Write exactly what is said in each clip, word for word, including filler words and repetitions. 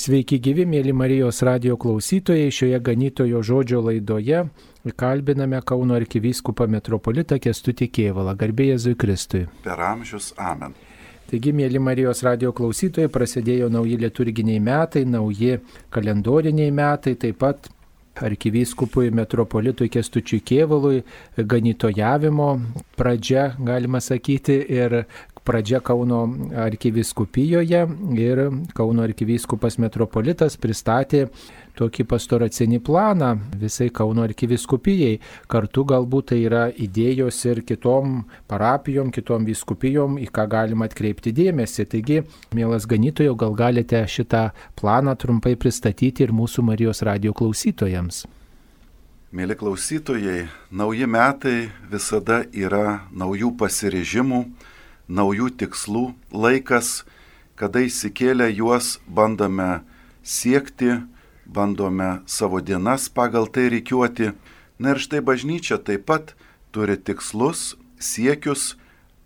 Sveiki gyvi, mėly Marijos radijo klausytojai. Šioje ganytojo žodžio laidoje kalbiname Kauno arkivyskupą metropolitą Kęstutį Kėvalą. Garbė Jėzui Kristui. Per amžius. Amen. Taigi, mėly Marijos radijo klausytojai, prasidėjo nauji liturginiai metai, nauji kalendoriniai metai, taip pat arkivyskupui metropolitui Kęstučiui Kėvalui ganytojavimo pradžia, galima sakyti, ir pradžia Kauno arkivyskupijoje, ir Kauno arkivyskupas metropolitas pristatė tokį pastoracinį planą visai Kauno arkivyskupijai. Kartu galbūt tai yra idėjos ir kitom parapijom, kitom vyskupijom, į ką galima atkreipti dėmesį. Taigi, mielas ganytojau, gal galite šitą planą trumpai pristatyti ir mūsų Marijos radijo klausytojams? Mėly klausytojai, nauji metai visada yra naujų pasiryžimų, naujų tikslų laikas, kada įsikėlę juos bandome siekti, bandome savo dienas pagal tai rikiuoti. Na ir štai bažnyčia taip pat turi tikslus, siekius,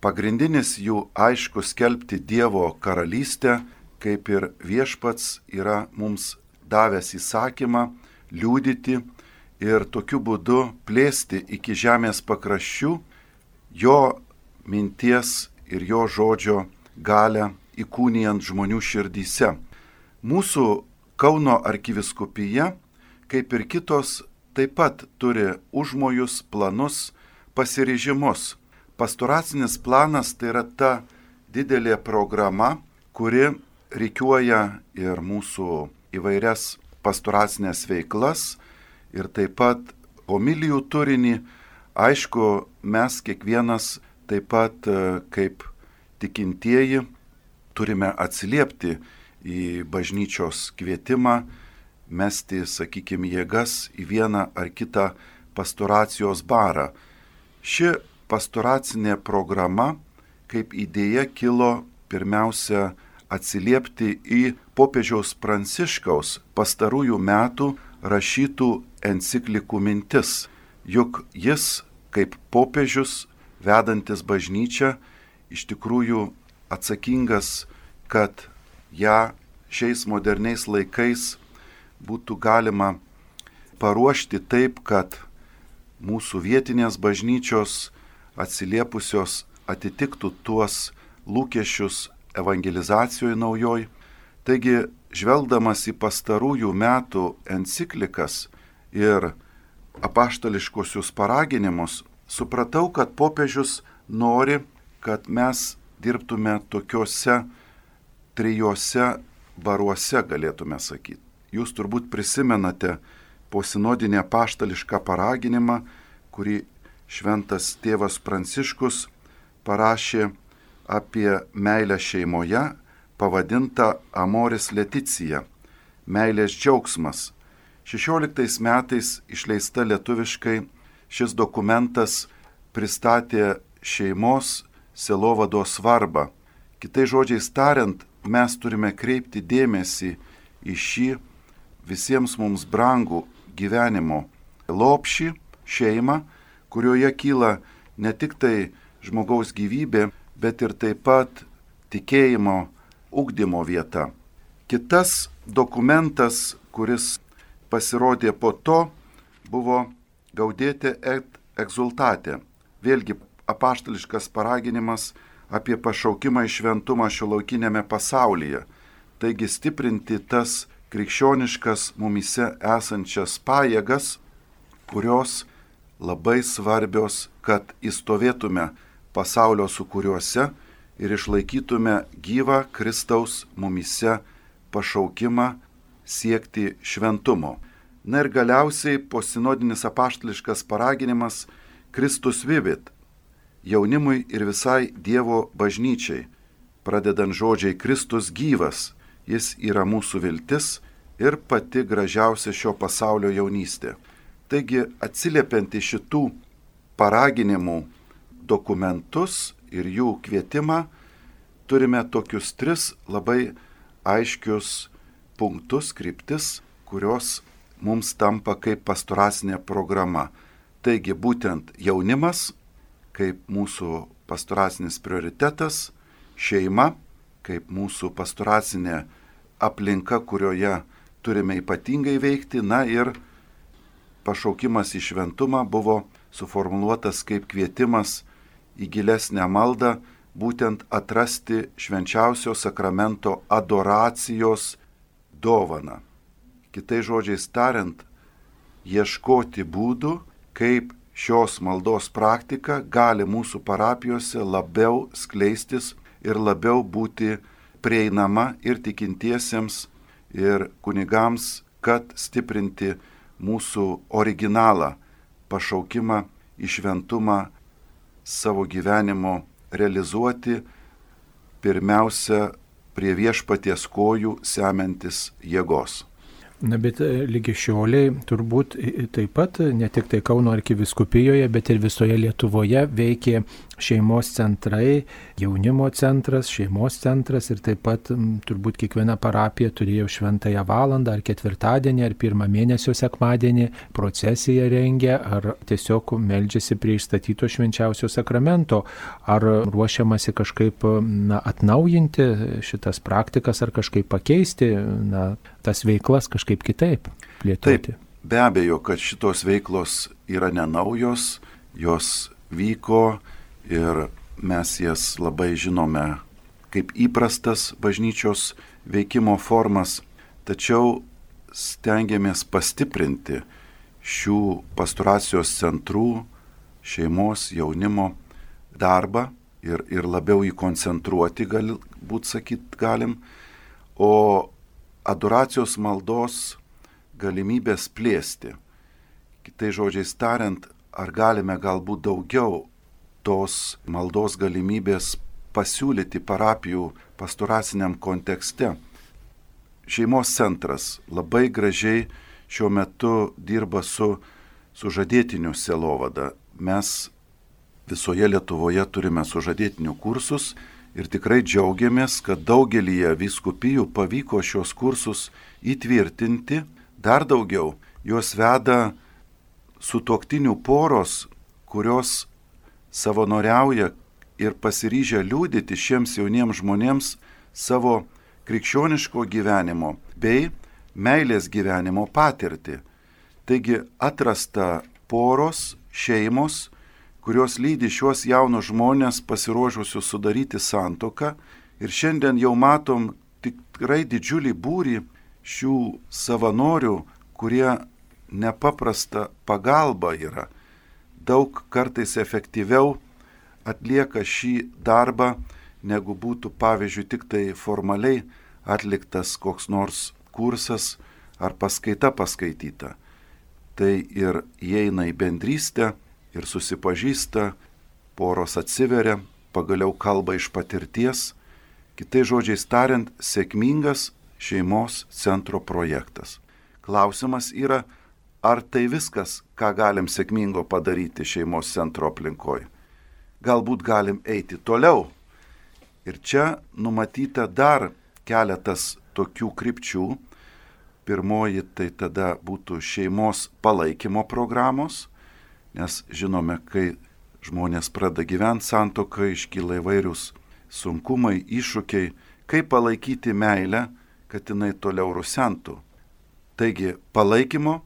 pagrindinis jų aišku skelbti Dievo karalystę, kaip ir viešpats yra mums davęs įsakymą liudyti ir tokiu būdu plėsti iki žemės pakraščių jo minties ir jo žodžio galę įkūnijant žmonių širdyse. Mūsų Kauno arkivyskupija, kaip ir kitos, taip pat turi užmojus, planus, pasiryžimus. Pastoracinis planas tai yra ta didelė programa, kuri rikiuoja ir mūsų įvairias pastoracinės veiklas ir taip pat homilijų turinį. Aišku, mes kiekvienas taip pat kaip tikintieji turime atsiliepti į bažnyčios kvietimą, mesti, sakykime, jėgas į vieną ar kitą pastoracijos barą. Ši pastoracinė programa kaip idėja kilo pirmiausia atsiliepti į popiežiaus Pranciškaus pastarųjų metų rašytų enciklikų mintis. Juk jis kaip popiežius vedantis bažnyčią, iš tikrųjų atsakingas, kad ją šiais moderniais laikais būtų galima paruošti taip, kad mūsų vietinės bažnyčios atsiliepusios atitiktų tuos lūkesčius evangelizacijoje naujoj. Taigi, žvelgdamas į pastarųjų metų enciklikas ir apaštališkuosius paraginimus, supratau, kad popiežius nori, kad mes dirbtume tokiuose trijose baruose, galėtume sakyti. Jūs turbūt prisimenate posinodinį apaštališką paraginimą, kurį šventas tėvas Pranciškus parašė apie meilę šeimoje, pavadintą Amoris Leticija, meilės džiaugsmas. šešioliktais metais išleista lietuviškai. Šis dokumentas pristatė šeimos sielovados svarbą. Kitais žodžiais tariant, mes turime kreipti dėmesį į šį visiems mums brangų gyvenimo lopšį, šeimą, kurioje kyla ne tik tai žmogaus gyvybė, bet ir taip pat tikėjimo ugdymo vieta. Kitas dokumentas, kuris pasirodė po to, buvo Gaudete et exultate. Vėlgi apaštališkas paraginimas apie pašaukimą į šventumą šiuolaikinėme pasaulyje. Taigi stiprinti tas krikščioniškas mumyse esančias pajėgas, kurios labai svarbios, kad įstovėtume pasaulio sūkuriuose ir išlaikytume gyvą Kristaus mumyse pašaukimą siekti šventumo. Na ir galiausiai posinodinis apaštališkas paraginimas Kristus vivit jaunimui ir visai Dievo bažnyčiai, pradedant žodžiai Kristus gyvas, jis yra mūsų viltis ir pati gražiausia šio pasaulio jaunystė. Taigi, atsiliepiant į šitų paraginimų dokumentus ir jų kvietimą, turime tokius tris labai aiškius punktus, kryptis, kurios mums tampa kaip pastoracinė programa. Taigi būtent jaunimas kaip mūsų pastoracinis prioritetas, šeima kaip mūsų pastoracinė aplinka, kurioje turime ypatingai veikti. Na ir pašaukimas į šventumą buvo suformuluotas kaip kvietimas į gilesnę maldą, būtent atrasti švenčiausio sakramento adoracijos dovaną. Kitais žodžiais tariant, ieškoti būdų, kaip šios maldos praktika gali mūsų parapijose labiau skleistis ir labiau būti prieinama ir tikintiesiems, ir kunigams, kad stiprinti mūsų originalą, pašaukimą į šventumą savo gyvenimo realizuoti, pirmiausia prie viešpaties kojų semiantis jėgos. Na, bet lygi šioliai turbūt taip pat ne tik tai Kauno arkivyskupijoje, bet ir visoje Lietuvoje veikė šeimos centrai, jaunimo centras, šeimos centras ir taip pat turbūt kiekviena parapija turėjo šventąją valandą ar ketvirtadienį ar pirmą mėnesio sekmadienį procesiją rengė ar tiesiog meldžiasi prie išstatyto švenčiausio sakramento. Ar ruošiamasi kažkaip na, atnaujinti šitas praktikas ar kažkaip pakeisti na, tas veiklas kažkaip kitaip plėtoti? Taip, be abejo, kad šitos veiklos yra nenaujos, jos vyko ir mes jas labai žinome kaip įprastas bažnyčios veikimo formas, tačiau stengiamės pastiprinti šių pastoracijos centrų, šeimos, jaunimo darbą ir, ir labiau jį koncentruoti, galbūt sakyt galim, o adoracijos maldos galimybės plėsti. Kitais žodžiais tariant, ar galime galbūt daugiau tos maldos galimybės pasiūlyti parapijų pastoraciniam kontekste. Šeimos centras labai gražiai šiuo metu dirba su sužadėtinių sielovada. Mes visoje Lietuvoje turime sužadėtinių kursus ir tikrai džiaugiamės, kad daugelyje vyskupijų pavyko šios kursus įtvirtinti. Dar daugiau, juos veda sutuoktinių poros, kurios savanoriauja ir pasiryžę liudyti šiems jauniems žmonėms savo krikščioniško gyvenimo bei meilės gyvenimo patirtį. Taigi atrasta poros, šeimos, kurios lydi šiuos jaunus žmonės pasiruošusius sudaryti santuoką ir šiandien jau matom tikrai didžiulį būrį šių savanorių, kurie nepaprasta pagalba yra. Daug kartais efektyviau atlieka šį darbą, negu būtų, pavyzdžiui, tik tai formaliai atliktas koks nors kursas ar paskaita paskaityta. Tai ir įeina į bendrystę ir susipažįsta, poros atsiveria, pagaliau kalba iš patirties. Kitais žodžiais tariant, sėkmingas šeimos centro projektas. Klausimas yra, ar tai viskas, ką galim sėkmingo padaryti šeimos centro aplinkoje? Galbūt galim eiti toliau. Ir čia numatyta dar keletas tokių krypčių. Pirmoji tai tada būtų šeimos palaikymo programos, nes žinome, kai žmonės pradeda gyventi santuokai, iškyla įvairius sunkumai, iššūkiai, kaip palaikyti meilę, kad jinai toliau rusentų. Taigi palaikymo.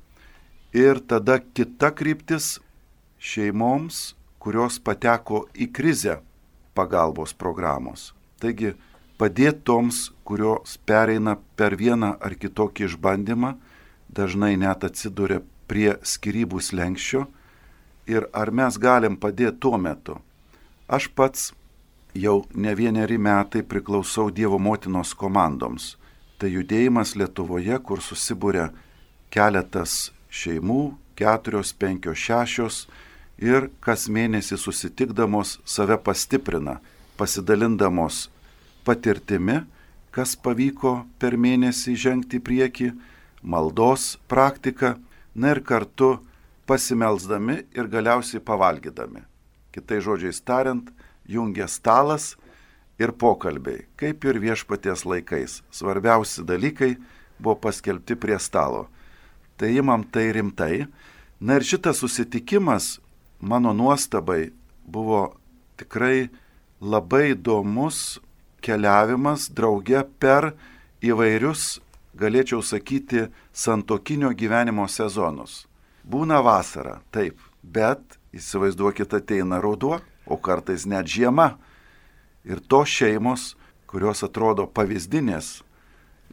Ir tada kita kryptis šeimoms, kurios pateko į krizę pagalbos programos. Taigi padėti toms, kurios pereina per vieną ar kitokį išbandymą, dažnai net atsiduria prie skyrybų slenksčio. Ir ar mes galim padėti tuo metu? Aš pats jau ne vieneri metai priklausau Dievo motinos komandoms. Tai judėjimas Lietuvoje, kur susibūrė keletas šeimų, keturios, penkios, šešios ir kas mėnesį susitikdamos save pastiprina, pasidalindamos patirtimi, kas pavyko per mėnesį žengti į priekį, maldos praktika, na ir kartu pasimelsdami ir galiausiai pavalgydami. Kitais žodžiais tariant, jungia stalas ir pokalbiai, kaip ir viešpaties laikais. Svarbiausi dalykai buvo paskelbti prie stalo. Tai imam tai rimtai. Na ir šitas susitikimas, mano nuostabai, buvo tikrai labai įdomus keliavimas drauge per įvairius, galėčiau sakyti, santuokinio gyvenimo sezonus. Būna vasara, taip, bet įsivaizduokit, ateina ruduo, o kartais net žiema. Ir tos šeimos, kurios atrodo pavyzdinės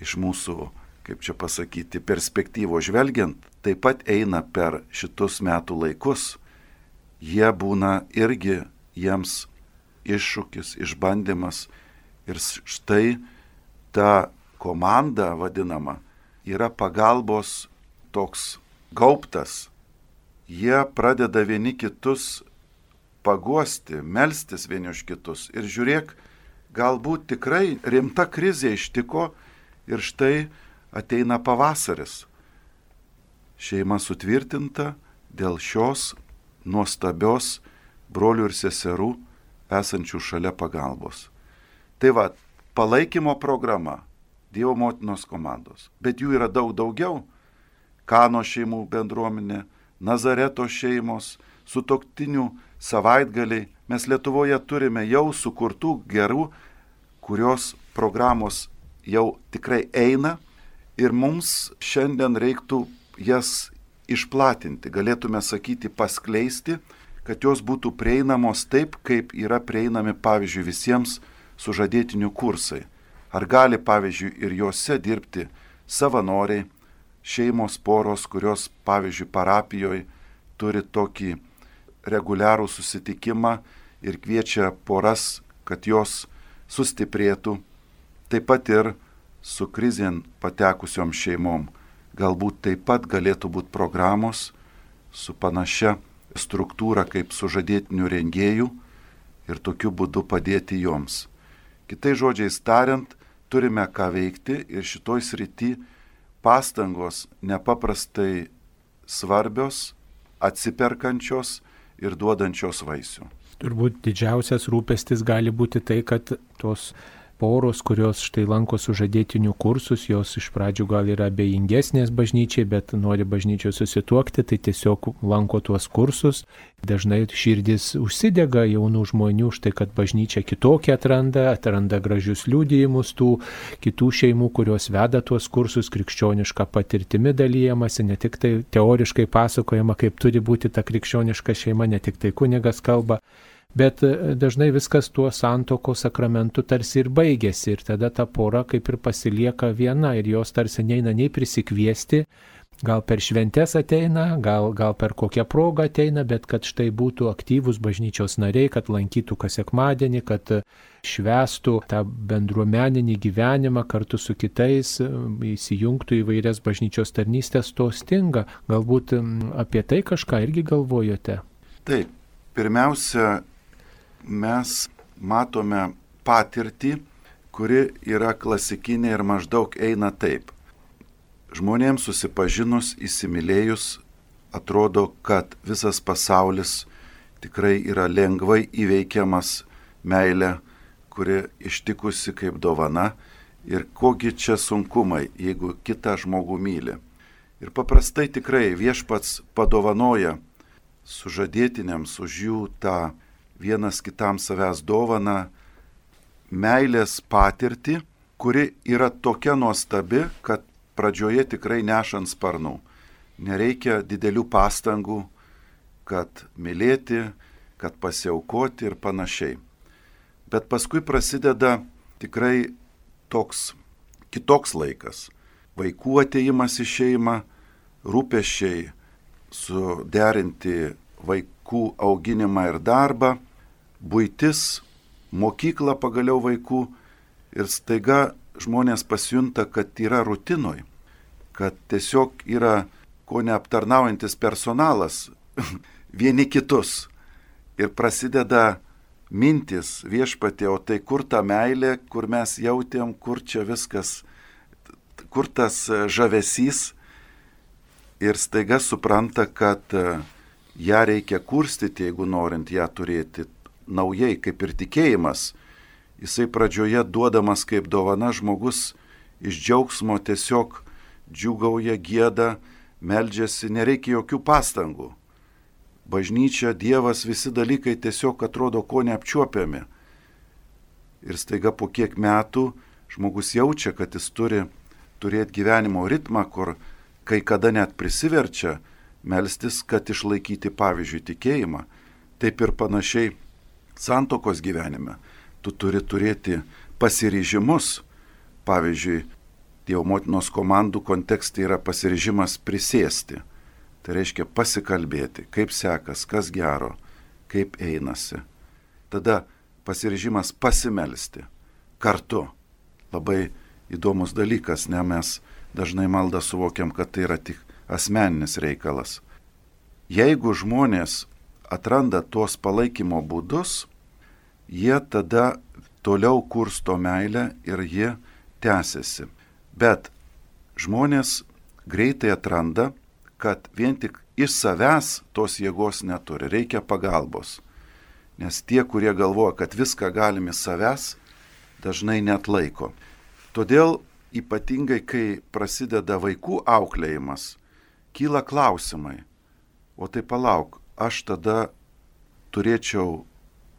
iš mūsų, kaip čia pasakyti, perspektyvos žvelgiant, taip pat eina per šitus metų laikus. Jie būna irgi jiems iššūkis, išbandymas. Ir štai ta komanda vadinama yra pagalbos toks gaubtas. Jie pradeda vieni kitus paguosti, melstis vieni už kitus. Ir žiūrėk, galbūt tikrai rimta krizė ištiko ir štai ateina pavasaris. Šeima sutvirtinta dėl šios nuostabios brolių ir seserų esančių šalia pagalbos. Tai va, palaikymo programa Dievo motinos komandos, bet jų yra daug daugiau. Kano šeimų bendruomenė, Nazareto šeimos, sutuoktinių savaitgaliai. Mes Lietuvoje turime jau sukurtų gerų, kurios programos jau tikrai eina ir mums šiandien reiktų jas išplatinti, galėtume sakyti paskleisti, kad jos būtų prieinamos taip, kaip yra prieinami, pavyzdžiui, visiems sužadėtinių kursai. Ar gali, pavyzdžiui, ir juose dirbti savanoriai, šeimos poros, kurios, pavyzdžiui, parapijoje turi tokį reguliarų susitikimą ir kviečia poras, kad jos sustiprėtų, taip pat ir su krizėn patekusiom šeimom. Galbūt taip pat galėtų būti programos su panašia struktūra kaip sužadėtinių rengėjų ir tokiu būdu padėti joms. Kitais žodžiais tariant, turime ką veikti ir šitoj srity pastangos nepaprastai svarbios, atsiperkančios ir duodančios vaisių. Turbūt didžiausias rūpestis gali būti tai, kad tos poros, kurios štai lanko sužadėtinių kursus, jos iš pradžių gal yra abejingesnės bažnyčiai, bet nori bažnyčiai susituokti, tai tiesiog lanko tuos kursus. Dažnai širdis užsidega jaunų žmonių, štai kad bažnyčia kitokia atranda, atranda gražius liudijimus tų kitų šeimų, kurios veda tuos kursus, krikščionišką patirtimi dalyjamasi, ne tik tai teoriškai pasakojama, kaip turi būti ta krikščioniška šeima, ne tik tai kunigas kalba. Bet dažnai viskas tuo santuokos sakramentu tarsi ir baigėsi ir tada ta pora kaip ir pasilieka viena ir jos tarsi neina nei prisikviesti, gal per šventes ateina, gal, gal per kokią progą ateina, bet kad štai būtų aktyvūs bažnyčios nariai, kad lankytų kas sekmadienį, kad švęstų tą bendruomeninį gyvenimą kartu su kitais, įsijungtų į vairias bažnyčios tarnystės, to stinga. Galbūt apie tai kažką irgi galvojote? Taip, pirmiausia, mes matome patirtį, kuri yra klasikinė ir maždaug eina taip. Žmonėms susipažinus, įsimylėjus, atrodo, kad visas pasaulis tikrai yra lengvai įveikiamas meilė, kuri ištikusi kaip dovana ir kogi čia sunkumai, jeigu kitą žmogų myli. Ir paprastai tikrai viešpats padovanoja sužadėtiniams už jų tą vienas kitam savęs dovaną, meilės patirtį, kuri yra tokia nuostabi, kad pradžioje tikrai nešant sparnų. Nereikia didelių pastangų, kad mylėti, kad pasiaukoti ir panašiai. Bet paskui prasideda tikrai toks kitoks laikas. Vaikų atėjimas į šeimą, rūpesčiai suderinti vaikų auginimą ir darbą, buitis, mokykla pagaliau vaikų ir staiga žmonės pasijunta, kad yra rutinoj, kad tiesiog yra ko neaptarnaujantis personalas vieni kitus ir prasideda mintis viešpatie, o tai kur ta meilė, kur mes jautėm, kur čia viskas, kur tas žavesys ir staiga supranta, kad ją reikia kurstyti, jeigu norint ją turėti naujai, kaip ir tikėjimas. Jisai pradžioje duodamas kaip dovana, žmogus iš džiaugsmo tiesiog džiūgauja, gieda, meldžiasi, nereikia jokių pastangų. Bažnyčia, Dievas, visi dalykai tiesiog atrodo ko neapčiuopiami. Ir staiga po kiek metų žmogus jaučia, kad jis turi turėti gyvenimo ritmą, kur kai kada net prisiverčia melstis, kad išlaikyti, pavyzdžiui, tikėjimą. Taip ir panašiai santuokos gyvenime. Tu turi turėti pasiryžimus. Pavyzdžiui, Dievo motinos komandų kontekste yra pasiryžimas prisėsti. Tai reiškia pasikalbėti, kaip sekas, kas gero, kaip einasi. Tada pasiryžimas pasimelsti kartu. Labai įdomus dalykas, ne, mes dažnai maldą suvokiam, kad tai yra tik asmeninis reikalas. Jeigu žmonės atranda tuos palaikymo būdus, jie tada toliau kursto meilę ir jie tęsiasi. Bet žmonės greitai atranda, kad vien tik iš savęs tos jėgos neturi, reikia pagalbos. Nes tie, kurie galvoja, kad viską galim iš savęs, dažnai net laiko. Todėl ypatingai, kai prasideda vaikų auklėjimas, kyla klausimai. O tai palauk, aš tada turėčiau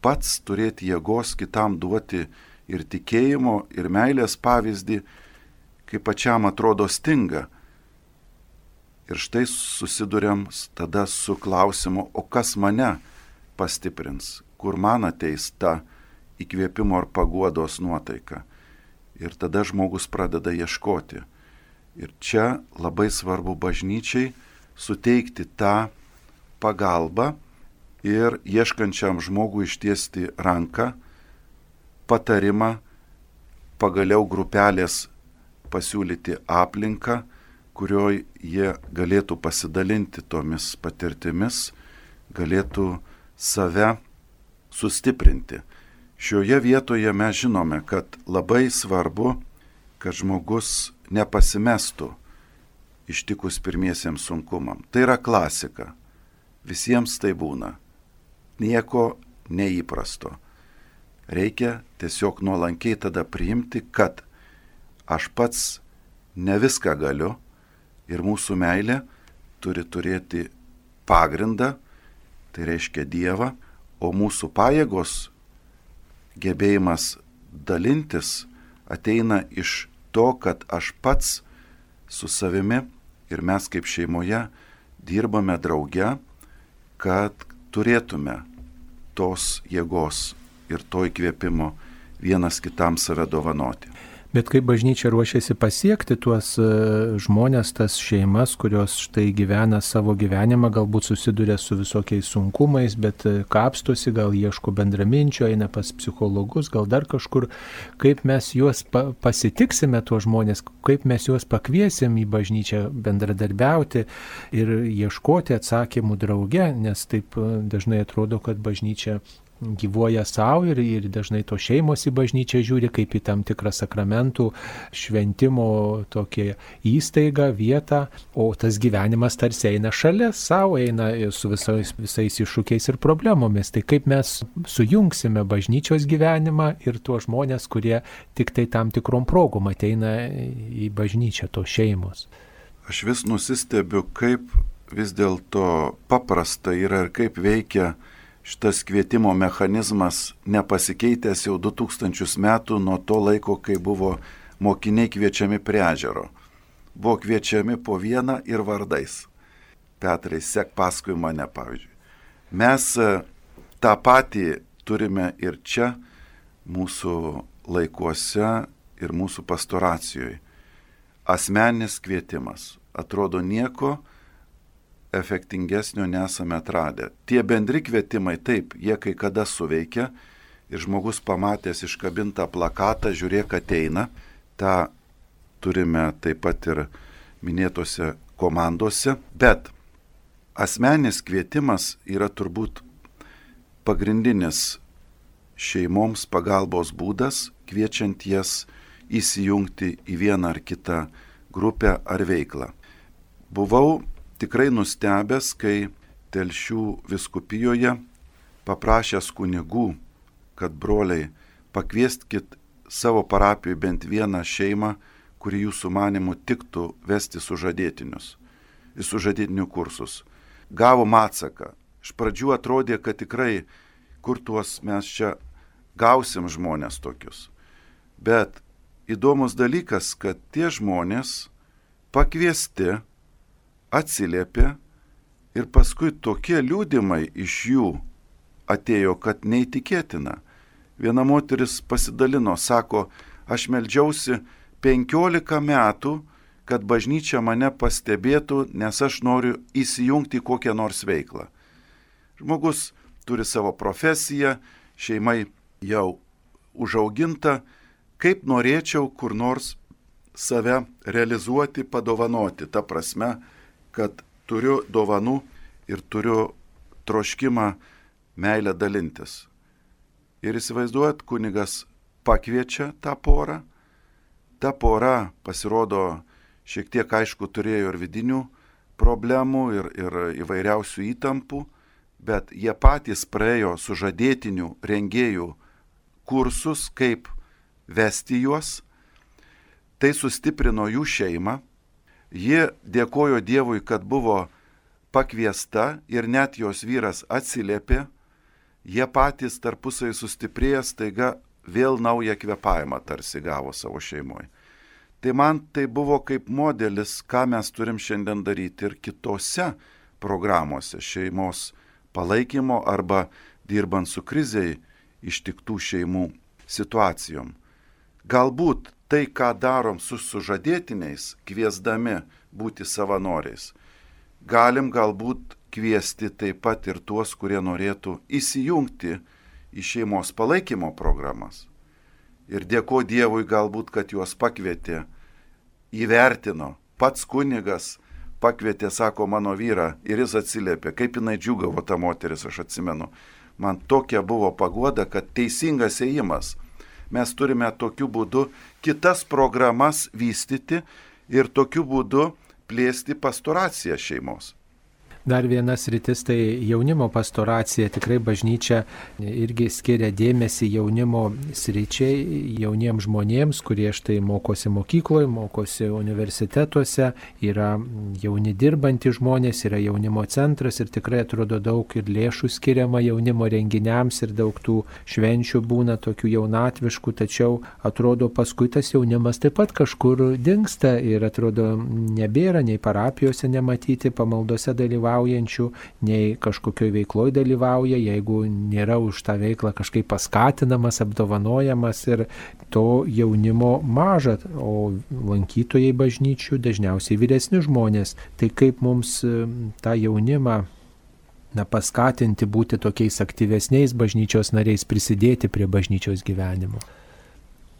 pats turėti jėgos kitam duoti ir tikėjimo, ir meilės pavyzdį, kai pačiam atrodo stinga. Ir štai susiduriam tada su klausimu, o kas mane pastiprins, kur man ateis ta įkvėpimo ar paguodos nuotaika. Ir tada žmogus pradeda ieškoti. Ir čia labai svarbu bažnyčiai suteikti tą pagalbą ir ieškančiam žmogui ištiesti ranką, patarimą, pagaliau grupelės pasiūlyti aplinką, kurioje jie galėtų pasidalinti tomis patirtimis, galėtų save sustiprinti. Šioje vietoje mes žinome, kad labai svarbu, kad žmogus nepasimestų ištikus pirmiesiems sunkumam. Tai yra klasika. Visiems tai būna. Nieko neįprasto. Reikia tiesiog nuolankiai tada priimti, kad aš pats ne viską galiu ir mūsų meilė turi turėti pagrindą, tai reiškia Dievą, o mūsų pajėgos, gebėjimas dalintis ateina iš to, kad aš pats su savimi ir mes kaip šeimoje dirbame drauge, kad turėtume tos jėgos ir to įkvėpimo vienas kitam save dovanoti. Bet kaip bažnyčia ruošiasi pasiekti tuos žmonės, tas šeimas, kurios štai gyvena savo gyvenimą, galbūt susiduria su visokiais sunkumais, bet kapstosi, gal ieško bendraminčio, eina pas psichologus, gal dar kažkur, kaip mes juos pa- pasitiksime, tuos žmonės, kaip mes juos pakviesim į bažnyčią bendradarbiauti ir ieškoti atsakymų drauge, nes taip dažnai atrodo, kad bažnyčia gyvuoja savo ir, ir dažnai to šeimos į bažnyčią žiūri kaip į tam tikrą sakramentų šventimo tokią įstaigą, vietą, o tas gyvenimas tarsi eina šalia savo, eina su visais, visais iššūkiais ir problemomis. Tai kaip mes sujungsime bažnyčios gyvenimą ir tuos žmonės, kurie tik tai tam tikrom progom ateina į bažnyčią, tos šeimos. Aš vis nusistebiu, kaip vis dėlto paprasta yra ir kaip veikia šitas kvietimo mechanizmas, nepasikeitęs jau du tūkstančius metų nuo to laiko, kai buvo mokiniai kviečiami prie ežero. Buvo kviečiami po vieną ir vardais. Petrai, sek paskui mane, pavyzdžiui. Mes tą patį turime ir čia, mūsų laikuose ir mūsų pastoracijoje. Asmeninis kvietimas. Atrodo, nieko efektingesnio nesame atradę. Tie bendri kvietimai, taip, jie kai kada suveikia ir žmogus pamatęs iškabintą plakatą, žiūrėk ateina. Ta turime taip pat ir minėtose komandose, bet asmeninis kvietimas yra turbūt pagrindinis šeimoms pagalbos būdas, kviečiant jas įsijungti į vieną ar kitą grupę ar veiklą. Buvau tikrai nustebęs, kai Telšių vyskupijoje paprašęs kunigų, kad broliai pakvieskit savo parapijoje bent vieną šeimą, kuri jūsų manimų tiktų vesti sužadėtinius, į sužadėtinių kursus. Gavom atsaką. Iš pradžių atrodė, kad tikrai, kur tuos mes čia gausim žmonės tokius. Bet įdomus dalykas, kad tie žmonės pakviesti atsiliepė ir paskui tokie liūdimai iš jų atėjo, kad neįtikėtina. Viena moteris pasidalino, sako, aš meldžiausi penkiolika metų, kad bažnyčia mane pastebėtų, nes aš noriu įsijungti į kokią nors veiklą. Žmogus turi savo profesiją, šeimai jau užauginta, kaip norėčiau kur nors save realizuoti, padovanoti. Ta prasme, kad turiu dovanų ir turiu troškimą meilę dalintis. Ir įsivaizduojat, kunigas pakviečia tą porą. Ta pora, pasirodo, šiek tiek aišku turėjo ir vidinių problemų, ir, ir įvairiausių įtampų, bet jie patys praėjo sužadėtinių rengėjų kursus, kaip vesti juos. Tai sustiprino jų šeimą. Ji dėkojo Dievui, kad buvo pakviesta ir net jos vyras atsiliepė. Jie patys tarpusai sustiprėję, staiga vėl naują kvėpavimą tarsi gavo savo šeimoje. Tai man tai buvo kaip modelis, ką mes turim šiandien daryti ir kitose programuose šeimos palaikymo arba dirbant su kriziai ištiktų šeimų situacijom. Galbūt tai, ką darom su sužadėtiniais, kviesdami būti savanoriais, galim galbūt kviesti taip pat ir tuos, kurie norėtų įsijungti į šeimos palaikymo programas. Ir dėko Dievui galbūt, kad juos pakvietė, įvertino. Pats kunigas pakvietė, sako, mano vyrą ir jis atsiliepė. Kaip jinai džiugavo ta moteris, aš atsimenu. Man tokia buvo paguoda, kad teisingas ėjimas. Mes turime tokiu būdu kitas programas vystyti ir tokiu būdu plėsti pastoraciją šeimos. Dar vienas rytis tai jaunimo pastoracija. Tikrai bažnyčia irgi skiria dėmesį jaunimo sričiai, jauniems žmonėms, kurie štai mokosi mokykloje, mokosi universitetuose, yra jauni dirbantys žmonės, yra jaunimo centras ir tikrai atrodo daug ir lėšų skiriama jaunimo renginiams ir daug tų švenčių būna tokių jaunatviškų, tačiau atrodo paskui tas jaunimas taip pat kažkur dingsta ir atrodo nebėra nei parapijose nematyti, pamaldose dalyvauti, nei kažkokioj veikloje dalyvauja, jeigu nėra už tą veiklą kažkaip paskatinamas, apdovanojamas ir to jaunimo maža, o lankytojai bažnyčių dažniausiai vyresni žmonės. Tai kaip mums tą jaunimą na, paskatinti būti tokiais aktyvesniais bažnyčios nariais, prisidėti prie bažnyčios gyvenimo?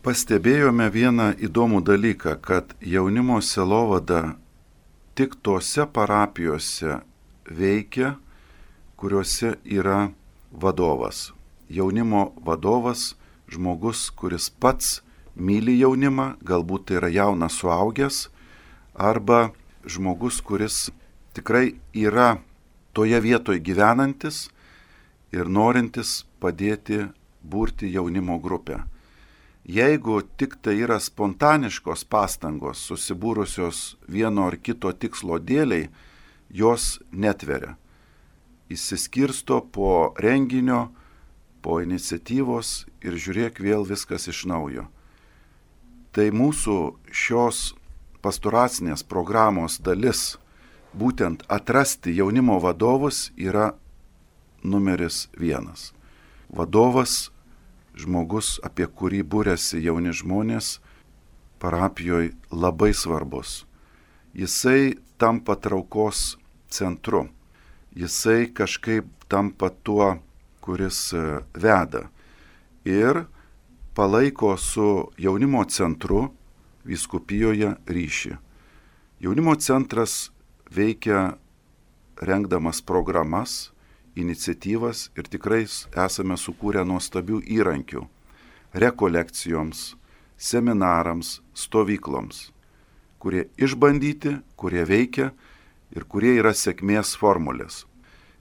Pastebėjome vieną įdomų dalyką, kad jaunimo sielovada tik tose parapijose veikia, kuriuose yra vadovas. Jaunimo vadovas, žmogus, kuris pats myli jaunimą, galbūt tai yra jaunas suaugęs, arba žmogus, kuris tikrai yra toje vietoje gyvenantis ir norintis padėti burti jaunimo grupę. Jeigu tik tai yra spontaniškos pastangos, susibūrusios vieno ar kito tikslo dėliai, jos netveria. Įsiskirsto po renginio, po iniciatyvos ir žiūrėk vėl viskas iš naujo. Tai mūsų šios pastoracinės programos dalis, būtent atrasti jaunimo vadovus, yra numeris vienas. Vadovas, žmogus, apie kurį būrėsi jauni žmonės, parapijoje labai svarbus. Jisai tampa traukos centru. Jisai kažkaip tampa tuo, kuris veda. Ir palaiko su jaunimo centru vyskupijoje ryšį. Jaunimo centras veikia rengdamas programas, iniciatyvas ir tikrai esame sukūrę nuostabių įrankių rekolekcijoms, seminarams, stovykloms, kurie išbandyti, kurie veikia ir kurie yra sėkmės formulės.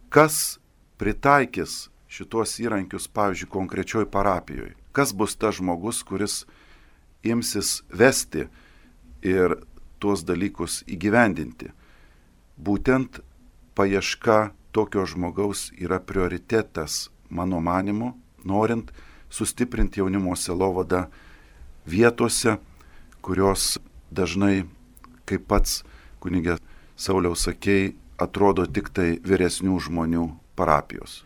Kas pritaikys šitos įrankius, pavyzdžiui, konkrečioj parapijoje? Kas bus tas žmogus, kuris imsis vesti ir tuos dalykus įgyvendinti? Būtent paieška tokio žmogaus yra prioritetas, mano manimu, norint sustiprinti jaunimo sielovadą vietose, kurios dažnai, kaip pats kunigė Sauliaus sakei, atrodo tik tai vyresnių žmonių parapijos.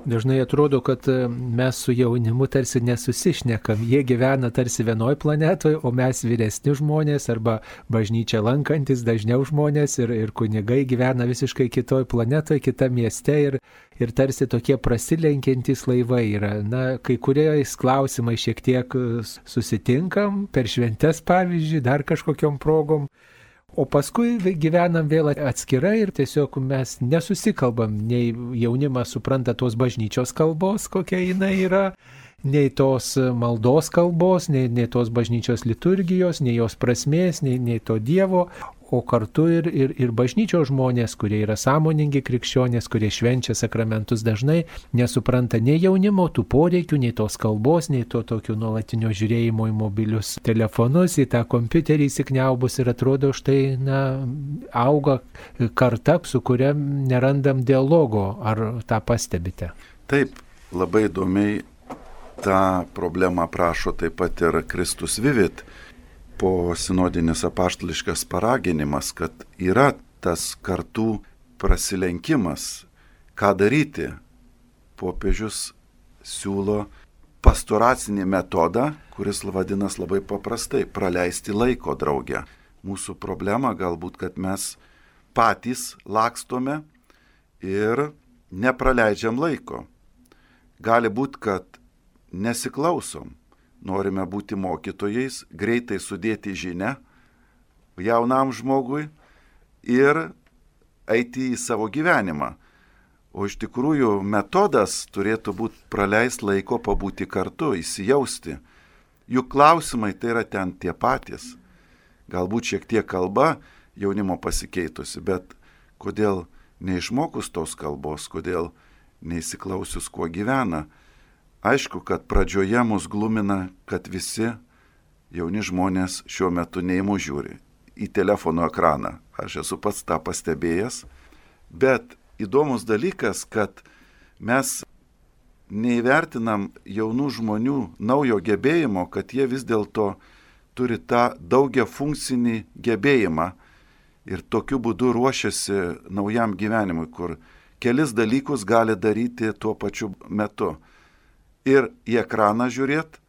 Dažnai atrodo, kad mes su jaunimu tarsi nesusišnekam. Jie gyvena tarsi vienoj planetoje, o mes vyresni žmonės arba bažnyčia lankantis dažniau žmonės ir, ir kunigai gyvena visiškai kitoj planetoje, kitame mieste ir, ir tarsi tokie prasilenkiantys laivai yra. Na, kai kuriais klausimais šiek tiek susitinkam, per šventes pavyzdžiui, dar kažkokiom progom. O paskui gyvenam vėl atskirai ir tiesiog mes nesusikalbam, nei jaunimas supranta tos bažnyčios kalbos, kokia jinai yra, nei tos maldos kalbos, nei, nei tos bažnyčios liturgijos, nei jos prasmės, nei, nei to Dievo, o kartu ir, ir, ir bažnyčios žmonės, kurie yra sąmoningi krikščionės, kurie švenčia sakramentus dažnai, nesupranta nei jaunimo tų poreikių, nei tos kalbos, nei to tokio nuolatinio žiūrėjimo į mobilius telefonus, į tą kompiuterį įsikniaubus ir atrodo štai, na, auga karta, su kuria nerandam dialogo. Ar tą pastebite? Taip, labai įdomiai tą problemą prašo taip pat ir Kristus Vivit. Po sinodinis apaštališkas paraginimas, kad yra tas kartų prasilenkimas, ką daryti. Popiežius siūlo pastoracinį metodą, kuris vadinas labai paprastai - praleisti laiko drauge. Mūsų problema galbūt, kad mes patys lakstome ir nepraleidžiam laiko. Gali būti, kad nesiklausom. Norime būti mokytojais, greitai sudėti žinią jaunam žmogui ir eiti į savo gyvenimą. O iš tikrųjų metodas turėtų būti praleisti laiko, pabūti kartu, įsijausti. Juk klausimai tai yra ten tie patys. Galbūt šiek tiek kalba jaunimo pasikeitusi, bet kodėl neišmokus tos kalbos, kodėl neįsiklausius, kuo gyvena. Aišku, kad pradžioje mus glumina, kad visi jauni žmonės šiuo metu ne į mus žiūri, į telefono ekraną. Aš esu pats tą pastebėjęs, bet įdomus dalykas, kad mes neįvertinam jaunų žmonių naujo gebėjimo, kad jie vis dėlto turi tą daugia funkcinį gebėjimą ir tokiu būdu ruošiasi naujam gyvenimui, kur kelis dalykus gali daryti tuo pačiu metu. Ir į ekraną žiūrėti,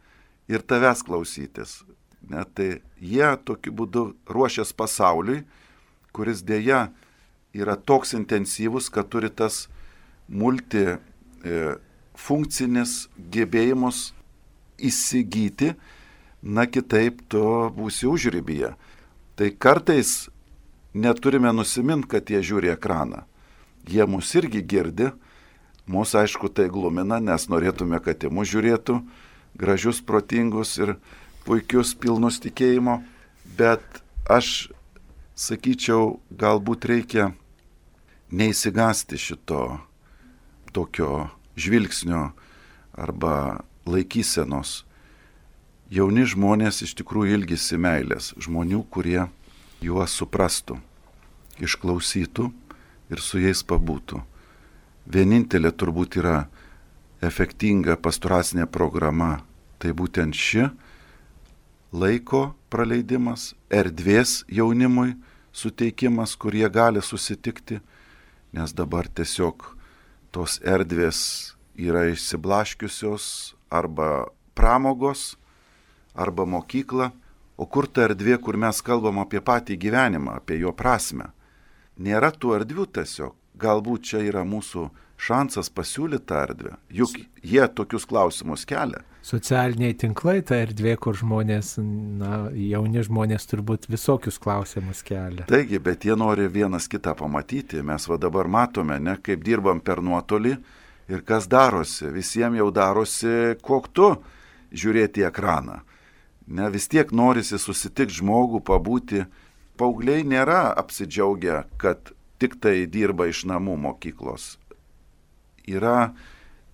ir tavęs klausytis. Net tai jie tokiu būdu ruošias pasauliui, kuris dėja yra toks intensyvus, kad turi tas multifunkcinis gebėjimus įsigyti, na kitaip tu būsi užribyje. Tai kartais neturime nusiminti, kad jie žiūri ekraną. Jie mus irgi girdi. Mūsų aišku tai glumina, nes norėtume, kad į mus žiūrėtų gražius, protingus ir puikius, pilnus tikėjimo, bet aš sakyčiau, galbūt reikia neįsigasti šito tokio žvilgsnio arba laikysenos. Jauni žmonės iš tikrųjų ilgisi meilės, žmonių, kurie juos suprastų, išklausytų ir su jais pabūtų. Vienintelė turbūt yra efektinga pastoracinė programa, tai būtent ši laiko praleidimas, erdvės jaunimui suteikimas, kur jie gali susitikti, nes dabar tiesiog tos erdvės yra išsiblaškiusios arba pramogos, arba mokykla, o kur ta erdvė, kur mes kalbam apie patį gyvenimą, apie jo prasmę. Nėra tų erdvių tiesiog. Galbūt čia yra mūsų šansas pasiūlyti tą erdvę, juk jie tokius klausimus kelia. Socialiniai tinklai, ta erdvė, kur žmonės, na, jauni žmonės turbūt visokius klausimus kelia. Taigi, bet jie nori vienas kitą pamatyti. Mes va dabar matome, ne, kaip dirbam per nuotolį ir kas darosi. Visiems jau darosi koktu žiūrėti į ekraną. Ne, vis tiek norisi susitikti žmogų, pabūti. Paaugliai nėra apsidžiaugę, kad tik tai dirba iš namų mokyklos. Yra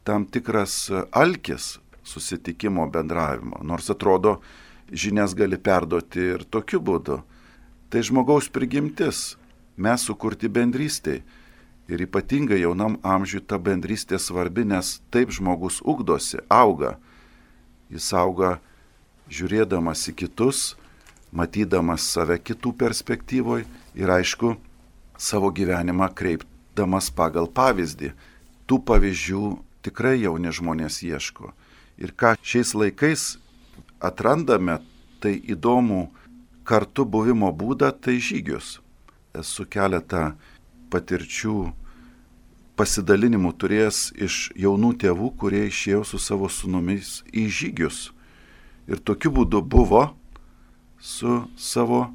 tam tikras alkis susitikimo bendravimo, nors atrodo, žinias gali perduoti ir tokiu būdu. Tai žmogaus prigimtis, mes sukurti bendrystėj. Ir ypatingai jaunam amžiui ta bendrystė svarbi, nes taip žmogus ugdosi, auga. Jis auga žiūrėdamas į kitus, matydamas save kitų perspektyvoje ir aišku, savo gyvenimą kreipdamas pagal pavyzdį. Tų pavyzdžių tikrai jauni žmonės ieško. Ir ką šiais laikais atrandame, tai įdomų kartu buvimo būdą, tai žygius. Esu keletą patirčių pasidalinimų turėjęs iš jaunų tėvų, kurie išėjo su savo sūnumis į žygius. Ir tokiu būdu buvo su savo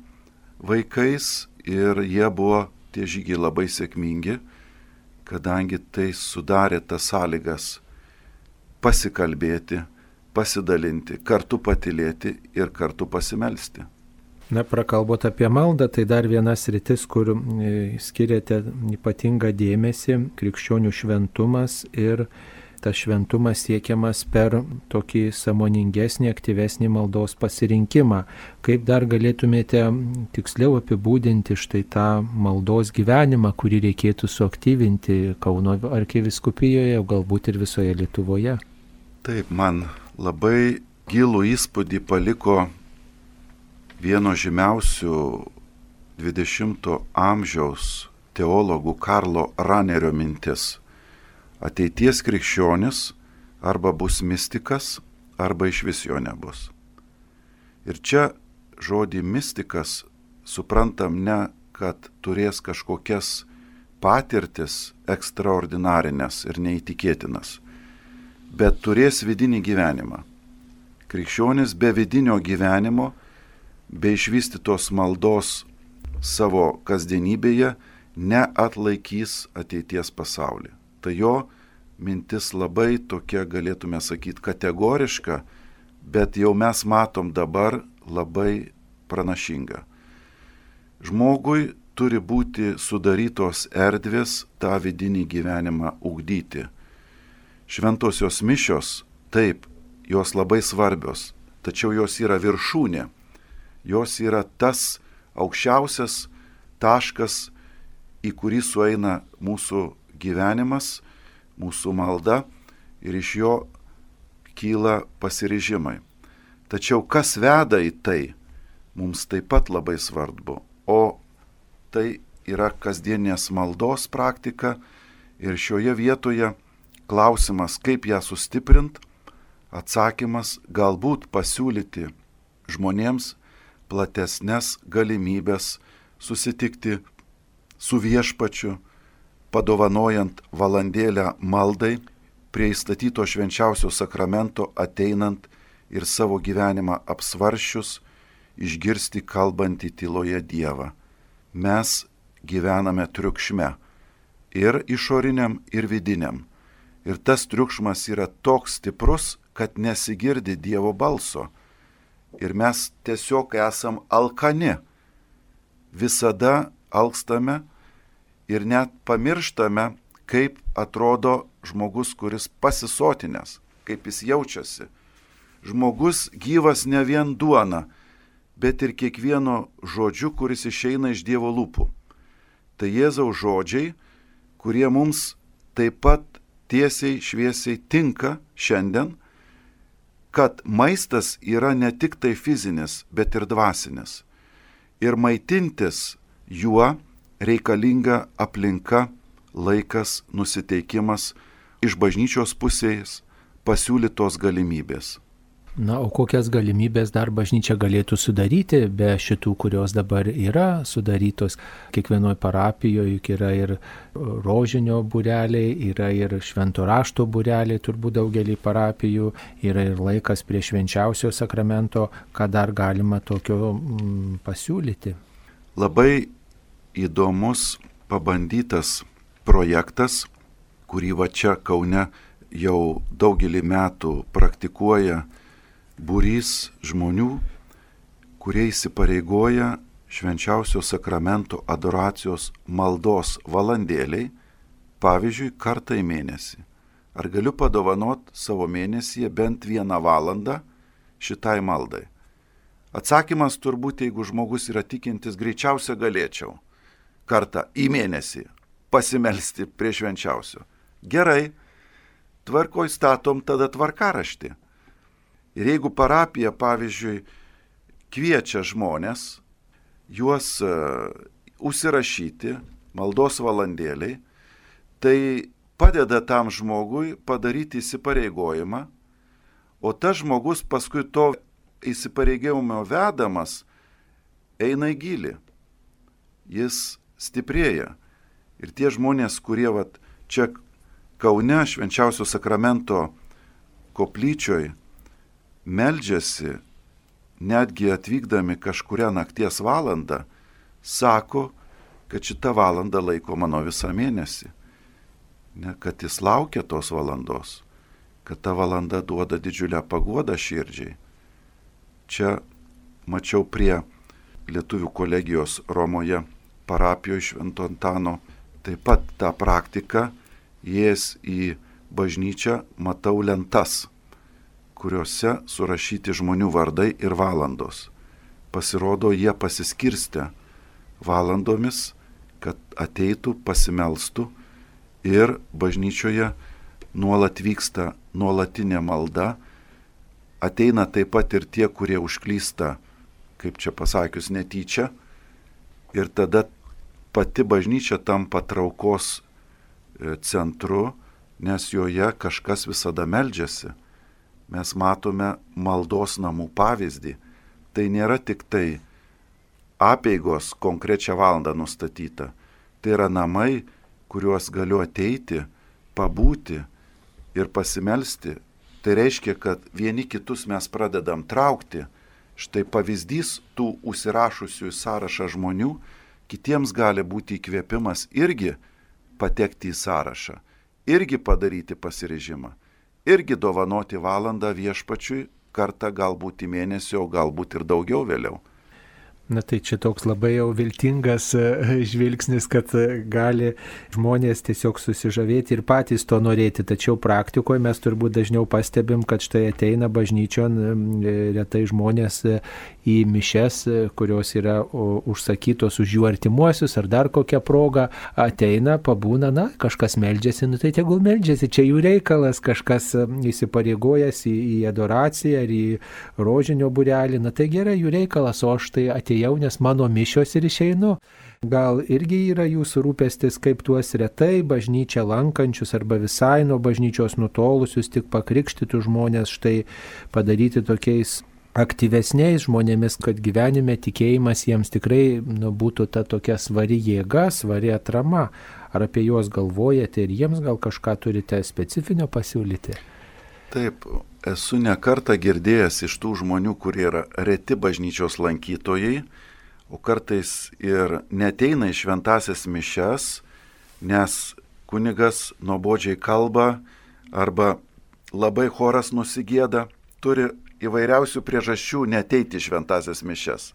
vaikais ir jie buvo tie žygiai labai sėkmingi, kadangi tai sudarė tas sąlygas pasikalbėti, pasidalinti, kartu patylėti ir kartu pasimelsti. Na, prakalbot apie maldą, tai dar vienas rytis, kur skiriate ypatingą dėmesį - krikščionių šventumas, ir tas šventumas siekiamas per tokį sąmoningesnį, aktyvesnį maldos pasirinkimą. Kaip dar galėtumėte tiksliau apibūdinti štai tą maldos gyvenimą, kurį reikėtų suaktyvinti Kauno arkivyskupijoje, galbūt ir visoje Lietuvoje? Taip, man labai gilų įspūdį paliko vieno žymiausių dvidešimto amžiaus teologų Karlo Ranerio mintis. Ateities krikščionis arba bus mistikas, arba iš vis jo nebus. Ir čia žodį mistikas suprantam ne, kad turės kažkokias patirtis ekstraordinarinės ir neįtikėtinas, bet turės vidinį gyvenimą. Krikščionis be vidinio gyvenimo, be išvystytos maldos savo kasdienybėje neatlaikys ateities pasaulį. Tai jo mintis labai tokia, galėtume sakyti, kategoriška, bet jau mes matom dabar labai pranašinga. Žmogui turi būti sudarytos erdvės tą vidinį gyvenimą ugdyti. Šventosios mišios, taip, jos labai svarbios, tačiau jos yra viršūnė. Jos yra tas aukščiausias taškas, į kurį sueina mūsų gyvenimas, mūsų malda ir iš jo kyla pasiryžimai. Tačiau kas veda į tai, mums taip pat labai svarbu. O tai yra kasdienės maldos praktika ir šioje vietoje klausimas, kaip ją sustiprint, atsakymas galbūt pasiūlyti žmonėms platesnes galimybės susitikti su viešpačiu, padovanojant valandėlę maldai, prie įstatyto švenčiausio sakramento ateinant ir savo gyvenimą apsvaršius, išgirsti kalbantį tyloje Dievą. Mes gyvename triukšme ir išoriniam, ir vidiniam. Ir tas triukšmas yra toks stiprus, kad nesigirdi Dievo balso. Ir mes tiesiog esam alkani. Visada alkstame ir net pamirštame, kaip atrodo žmogus, kuris pasisotinęs, kaip jis jaučiasi. Žmogus gyvas ne vien duona, bet ir kiekvieno žodžiu, kuris išeina iš Dievo lūpų. Tai Jėzaus žodžiai, kurie mums taip pat tiesiai šviesiai tinka šiandien, kad maistas yra ne tik tai fizinis, bet ir dvasinis. Ir maitintis juo reikalinga aplinka, laikas, nusiteikimas, iš bažnyčios pusės pasiūlytos galimybės. Na, o kokias galimybės dar bažnyčia galėtų sudaryti be šitų, kurios dabar yra sudarytos? Kiekvienoje parapijoje juk yra ir rožinio būreliai, yra ir švento rašto būreliai, turbūt daugelį parapijų, yra ir laikas prie švenčiausio sakramento, ką dar galima tokio mm, pasiūlyti. Labai įdomus pabandytas projektas, kurį va čia Kaune jau daugelį metų praktikuoja būrys žmonių, kurie įsipareigoja švenčiausio sakramento adoracijos maldos valandėliai, pavyzdžiui, kartą į mėnesį. Ar galiu padovanot savo mėnesyje bent vieną valandą šitai maldai? Atsakymas turbūt, jeigu žmogus yra tikintis, greičiausia galėčiau kartą į mėnesį pasimelsti prie švenčiausio. Gerai, tvarkoj statom tada tvarkaraštį. Ir jeigu parapija, pavyzdžiui, kviečia žmonės, juos uh, užsirašyti maldos valandėliai, tai padeda tam žmogui padaryti įsipareigojimą, o tas žmogus paskui to įsipareigojimo vedamas eina į gilį. Jis stiprėja. Ir tie žmonės, kurie vat, čia Kaune Švenčiausio sakramento koplyčioj meldžiasi, netgi atvykdami kažkurią nakties valandą, sako, kad šita valanda laiko mano visą mėnesį. Ne, kad jis laukia tos valandos, kad ta valanda duoda didžiulę paguodą širdžiai. Čia mačiau prie Lietuvių kolegijos Romoje parapijoje Švento Antano taip pat tą praktiką, įėjęs į bažnyčią, matau lentas, kuriuose surašyti žmonių vardai ir valandos. Pasirodo, jie pasiskirstę valandomis, kad ateitų, pasimelstų ir bažnyčioje nuolat vyksta nuolatinė malda. Ateina taip pat ir tie, kurie užklysta, kaip čia pasakius, netyčia. Ir tada pati bažnyčia tampa traukos centru, nes joje kažkas visada meldžiasi. Mes matome maldos namų pavyzdį. Tai nėra tik tai apeigos konkrečią valandą nustatyta. Tai yra namai, kuriuos galiu ateiti, pabūti ir pasimelsti. Tai reiškia, kad vieni kitus mes pradedam traukti. Štai pavyzdys tų užsirašusių į sąrašą žmonių, kitiems gali būti įkvėpimas irgi patekti į sąrašą, irgi padaryti pasiryžimą, irgi dovanoti valandą viešpačiui, kartą galbūt į mėnesį, o galbūt ir daugiau vėliau. Na tai čia toks labai jau viltingas žvilgsnis, kad gali žmonės tiesiog susižavėti ir patys to norėti, tačiau praktikoje mes turbūt dažniau pastebim, kad štai ateina bažnyčion retai žmonės į mišias, kurios yra užsakytos už jų artimuosius ar dar kokią progą, ateina, pabūna, na, kažkas meldžiasi, nu tai tegul meldžiasi, čia jų reikalas, kažkas įsipareigojęs į, į adoraciją ar į rožinio būrelį, na tai gerai, jų reikalas, o aš tai atėjau, nes mano mišios ir išeinu. Gal irgi yra jūsų rūpestis, kaip tuos retai bažnyčią lankančius arba visai nuo bažnyčios nutolusius, tik pakrikštytų žmonės štai padaryti tokiais aktyvesniais žmonėmis, kad gyvenime tikėjimas jiems tikrai nu, būtų ta tokia svari jėga, svari atrama. Ar apie juos galvojate ir jiems gal kažką turite specifinio pasiūlyti? Taip, esu ne kartą girdėjęs iš tų žmonių, kurie yra reti bažnyčios lankytojai, o kartais ir neteina į šventąsias mišias, nes kunigas nuobodžiai kalba arba labai choras nusigėda, turi įvairiausių priežasčių neteiti šventąsias mišias.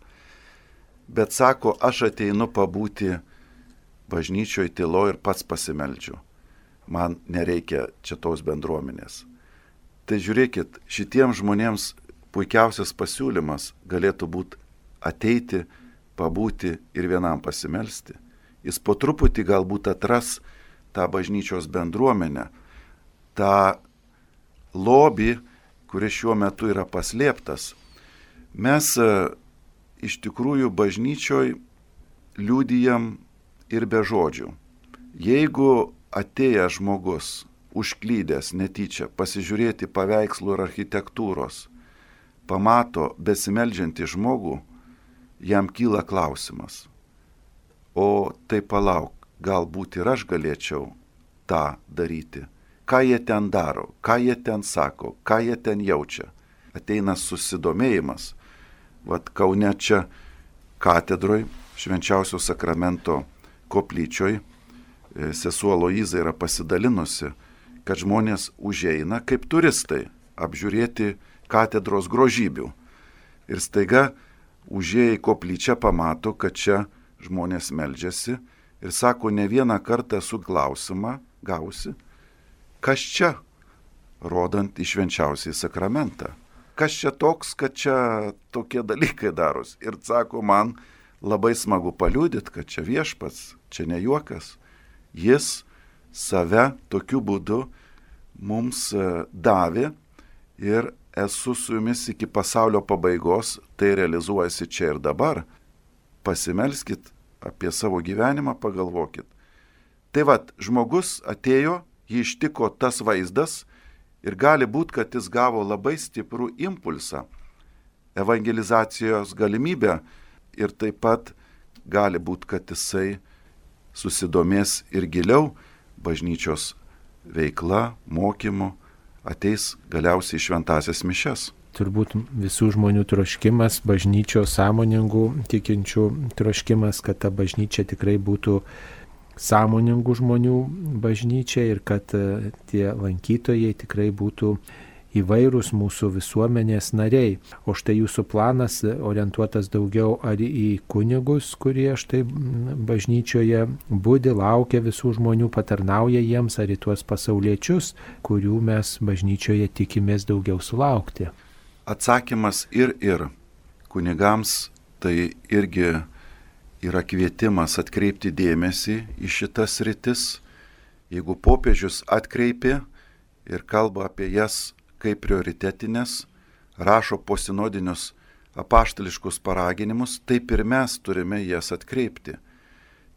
Bet sako, aš ateinu pabūti bažnyčioje tylo ir pats pasimeldžiu. Man nereikia čia tos bendruomenės. Tai žiūrėkit, šitiems žmonėms puikiausias pasiūlymas galėtų būti ateiti, pabūti ir vienam pasimelsti. Jis po truputį galbūt atras tą bažnyčios bendruomenę, tą lobį, kuris šiuo metu yra paslėptas. Mes iš tikrųjų bažnyčioj liudijam ir be žodžių. Jeigu atėjęs žmogus, užklydęs netyčia, pasižiūrėti paveikslų ir architektūros, pamato besimeldžiantį žmogų, jam kyla klausimas. O tai palauk, galbūt ir aš galėčiau tą daryti. Ką jie ten daro, ką jie ten sako, ką jie ten jaučia. Ateina susidomėjimas. Vat Kaune čia katedroj, Švenčiausio sakramento koplyčioj, sesuo Aloiza yra pasidalinusi, kad žmonės užeina kaip turistai apžiūrėti katedros grožybių. Ir staiga užėję į koplyčią pamato, kad čia žmonės meldžiasi ir sako, ne vieną kartą esu klausimą gausi, kas čia, rodant į švenčiausiąjį sakramentą. Kas čia toks, kad čia tokie dalykai daros. Ir sako, man labai smagu paliudyti, kad čia viešpats, čia ne juokas. Jis save tokiu būdu mums davė ir esu su jumis iki pasaulio pabaigos, tai realizuojasi čia ir dabar. Pasimelskit apie savo gyvenimą, pagalvokit. Tai vat, žmogus atėjo, jį ištiko tas vaizdas ir gali būti, kad jis gavo labai stiprų impulsą, evangelizacijos galimybę ir taip pat gali būti, kad jisai susidomės ir giliau bažnyčios veikla, mokymu, ateis galiausiai šventasias mišias. Turbūt visų žmonių troškimas, bažnyčios sąmoningų tikinčių troškimas, kad ta bažnyčia tikrai būtų sąmoningų žmonių bažnyčia ir kad tie lankytojai tikrai būtų įvairūs mūsų visuomenės nariai. O štai jūsų planas orientuotas daugiau ar į kunigus, kurie štai bažnyčioje budi, laukia visų žmonių, patarnauja jiems, ar į tuos pasauliečius, kurių mes bažnyčioje tikimės daugiau sulaukti. Atsakymas ir ir. Kunigams tai irgi yra kvietimas atkreipti dėmesį į šitas rytis. Jeigu popiežius atkreipė ir kalba apie jas kaip prioritetinės, rašo posinodinius apaštališkus paraginimus, taip ir mes turime jas atkreipti.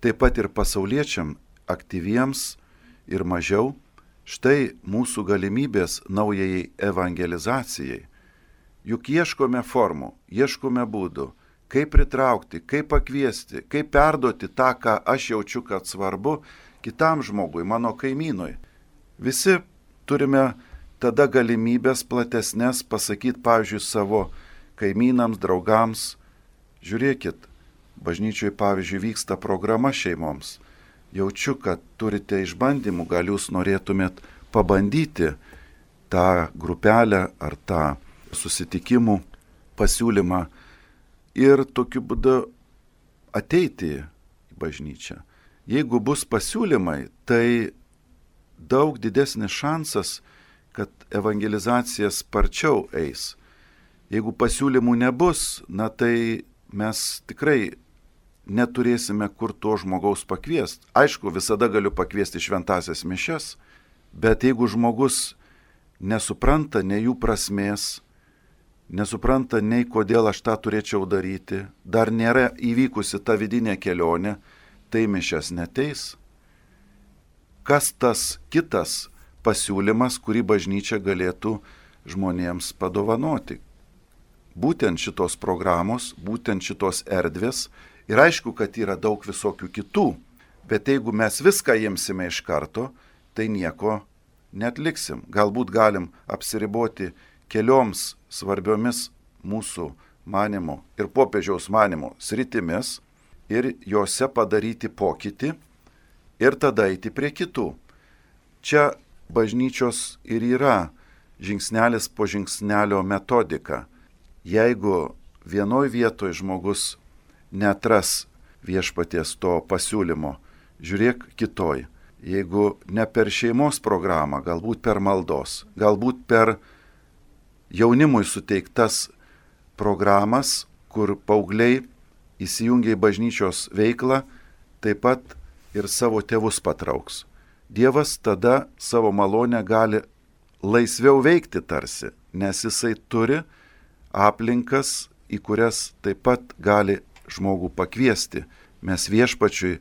Taip pat ir pasauliečiam, aktyviems ir mažiau, štai mūsų galimybės naujai evangelizacijai. Juk ieškome formų, ieškome būdų, kaip pritraukti, kaip pakviesti, kaip perduoti tą, ką aš jaučiu, kad svarbu kitam žmogui, mano kaimynui. Visi turime tada galimybės platesnės pasakyti, pavyzdžiui, savo kaimynams, draugams. Žiūrėkit, bažnyčioje, pavyzdžiui, vyksta programa šeimoms. Jaučiu, kad turite išbandymų, gal jūs norėtumėt pabandyti tą grupelę ar tą susitikimų pasiūlymą ir tokiu būdu ateiti į bažnyčią. Jeigu bus pasiūlymai, tai daug didesnis šansas, kad evangelizacija sparčiau eis. Jeigu pasiūlymų nebus, na tai mes tikrai neturėsime kur to žmogaus pakviesti. Aišku, visada galiu pakviesti šventasias mišias, bet jeigu žmogus nesupranta nei jų prasmės, nesupranta nei kodėl aš tą turėčiau daryti, dar nėra įvykusi ta vidinė kelionė, tai mišias neteis. Kas tas kitas pasiūlymas, kurį bažnyčia galėtų žmonėms padovanoti? Būtent šitos programos, būtent šitos erdvės. Ir aišku, kad yra daug visokių kitų, bet jeigu mes viską imsime iš karto, tai nieko netliksim. Galbūt galim apsiriboti kelioms svarbiomis mūsų manimo ir popiežiaus manimo sritimis ir juose padaryti pokytį ir tada eiti prie kitų. Čia bažnyčios ir yra žingsnelis po žingsnelio metodika. Jeigu vienoj vietoj žmogus netras viešpaties to pasiūlymo, žiūrėk kitoj. Jeigu ne per šeimos programą, galbūt per maldos, galbūt per jaunimui suteiktas programas, kur paaugliai įsijungia į bažnyčios veiklą, taip pat ir savo tėvus patrauks. Dievas tada savo malonę gali laisviau veikti tarsi, nes jisai turi aplinkas, į kurias taip pat gali žmogų pakviesti. Mes viešpačiui,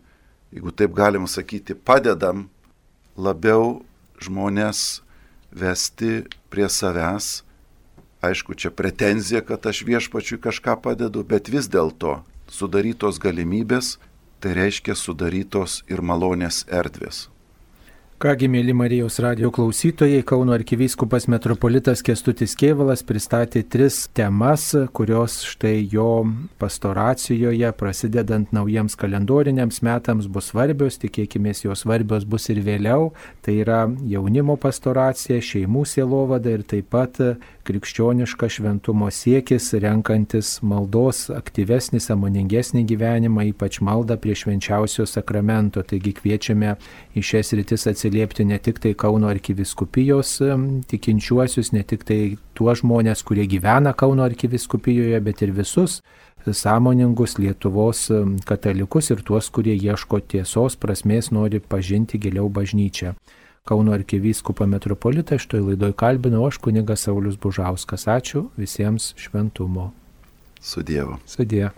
jeigu taip galim sakyti, padedam labiau žmonės vesti prie savęs. Aišku, čia pretenzija, kad aš viešpačiui kažką padedu, bet vis dėlto sudarytos galimybės, tai reiškia sudarytos ir malonės erdvės. Kągi, mėly Marijos radijo klausytojai, Kauno arkivyskupas metropolitas Kęstutis Kėvalas pristatė tris temas, kurios štai jo pastoracijoje, prasidedant naujiems kalendoriniams metams, bus svarbios, tikėkimės jos svarbios bus ir vėliau. Tai yra jaunimo pastoracija, šeimų sielovada ir taip pat krikščioniška šventumo siekis, renkantis maldos aktyvesnį, sąmoningesnį gyvenimą, ypač maldą prie švenčiausio sakramento. Taigi kviečiame į šias rytis atsiliepti ne tik tai Kauno arkivyskupijos tikinčiuosius, ne tik tai tuos žmonės, kurie gyvena Kauno arkivyskupijose, bet ir visus sąmoningus Lietuvos katalikus ir tuos, kurie ieško tiesos, prasmės, nori pažinti giliau bažnyčią. Kauno arkivyskupą metropolitą. Šitoj laidoj kalbinau aš kunigas Saulius Bužauskas. Ačiū visiems šventumo. Su Dievu. Sudie.